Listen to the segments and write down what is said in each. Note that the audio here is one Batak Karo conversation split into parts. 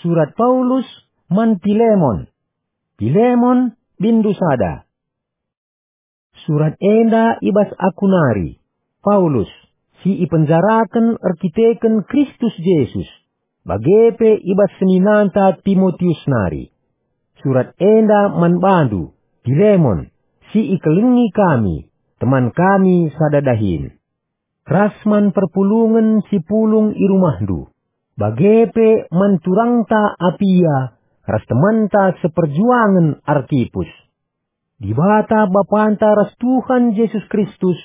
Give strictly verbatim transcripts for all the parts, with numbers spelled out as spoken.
Surat Paulus man Pilemon. Pilemon, binndu sada. Surat enda i bas aku nari, Paulus, si ipenjaraken erkiteken Kristus Jesus, bage pe i bas seninanta Timotius nari. Surat enda man bandu, Pilemon, si ikelengi kami, teman kami sada dahin. Ras man perpulungen si pulung i rumahndu, bage pe man turangta Apia ras temanta seperjuangen Arkipus. Dibata Bapanta ras Tuhan Jesus Kristus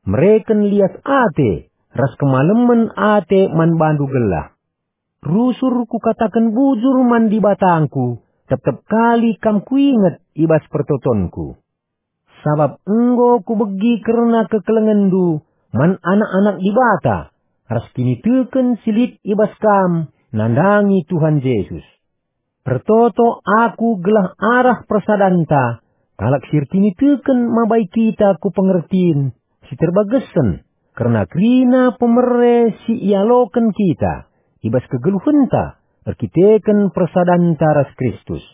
mereken lias ate ras kemalemen ate man bandu gelah. Rusur kukataken bujur man Dibatangku, tep-tep kali kam kuinget i bas pertotonku. Sabap enggo kubegi kerna kekelengenndu man anak-anak Dibata ras kiniteken si lit i bas kam nandangi Tuhan Jesus. Ertoto aku gelah arah persadanta kalak si erkiniteken mabai kita ku pengertin si terbagesen kerna kerina pemere si ialoken kita i bas kegeluhenta erkiteken persadanta ras Kristus.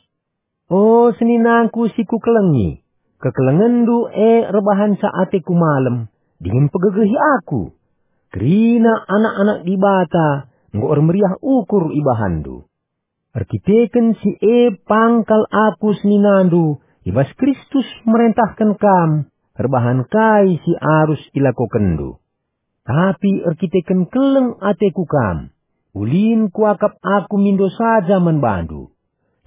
O seninangku si kukelengi, kekelengenndu e erbahanca ateku malem dingen pegegehi aku. Kerina anak-anak Dibata enggo ermeriah ukur ibahanndu. Erkiteken si e pang kal aku seninandu i bas Kristus merentahken kam erbahan kai si arus ilakokenndu. Tapi erkiteken keleng ateku kam, ulin kuakap aku mindo saja man bandu.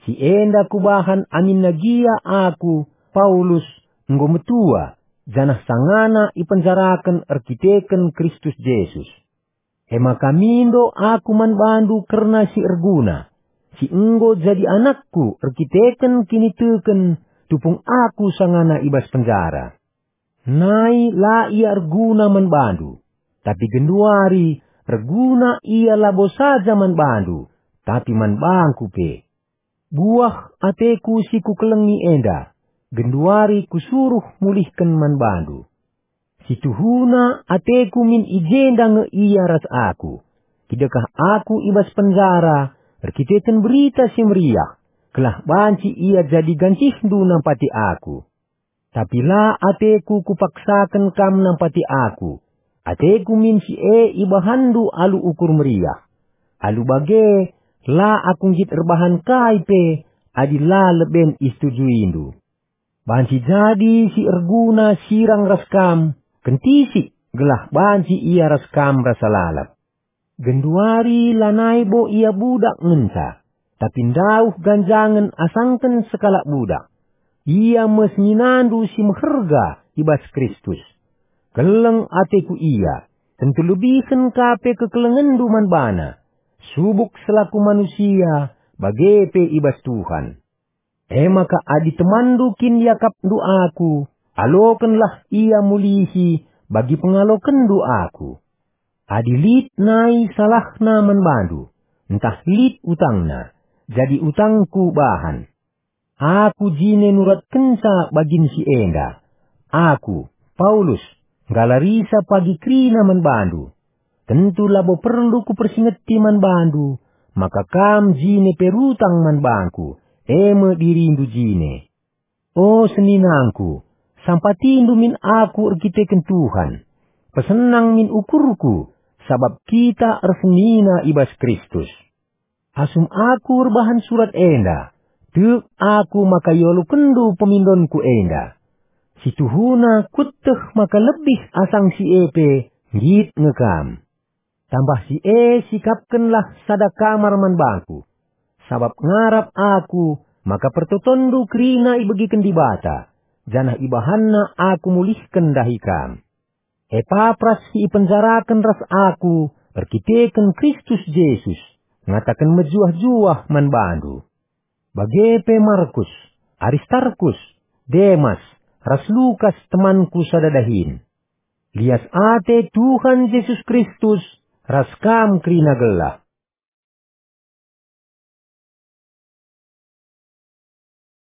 Si enda kubahan aminna gia aku, Paulus, enggo metua, janah sangana ipenjaraken erkiteken Kristus Jesus. E maka mindo aku man bandu kerna si erguna, si enggo jadi anakku erkiteken kiniteken tupung aku sangana i bas penjara. Nai la ia erguna man bandu, tapi genduari erguna ia labo saja man bandu, tapi man bangku pe. Buah ateku si kukelengi enda, genduari kusuruh mulihken man bandu. Situhuna ateku min i jenda nge ia ras aku. Kidekah aku i bas penjara erkiteken Berita Si Meriah, gelah banci ia jadi gancihndu nampati aku. Tapi la ateku kupaksaken kam nampati aku. Ateku min si e ibahanndu alu ukur meriah. Alu bage, la aku nggit erbahan kai pe adi la leben isetujuindu. Banci jadi si erguna sirang ras kam, kentisik gelah banci ia ras kam rasa lalap. Genduari lanai bo ia budak ngenca, tapi ndauh ganjangen asangken sekalak budak. Ia me seninandu si meherga i bas Kristus. Keleng ateku ia, tentu lebihen ka pe kekelengenndu man bana, subuk selaku manusia, bage pe i bas Tuhan. E maka adi temanndu kin iakapndu aku, alokenlah ia mulihi bagi pengalokenndu aku. Adi lit nai salahna man bandu, ntah lit utangna, jadi utangku bahan. Aku jine nuratkenca bagin si enda. Aku, Paulus, nggalarisa pagi kerina man bandu. Tentu labo perlu kupersingeti man bandu, maka kam jine pe rutang man bangku, e me dirindu jine. O seninangku, sampatindu min aku erkiteken Tuhan. Pesenang min ukurku, sabap kita ersenina i bas Kristus. Asum aku erbahan surat enda, tek aku maka ialokenndu pemindonku enda. Situhuna kueteh maka lebih asang si e pe nggit nge kam. Tambah si e sikapkenlah sada kamar man bangku. Sabap ngarap aku maka pertotonndu kerina ibegiken Dibata, janah ibahanna aku mulihken ndahi kam. Epapras si ipenjaraken ras aku erkiteken Kristus Jesus, ngataken mejuah-juah man bandu. Bage pe Markus, Aristarkus, Demas, ras Lukas temanku sada dahin. Lias ate Tuhan Jesus Kristus ras kam kerina gelah.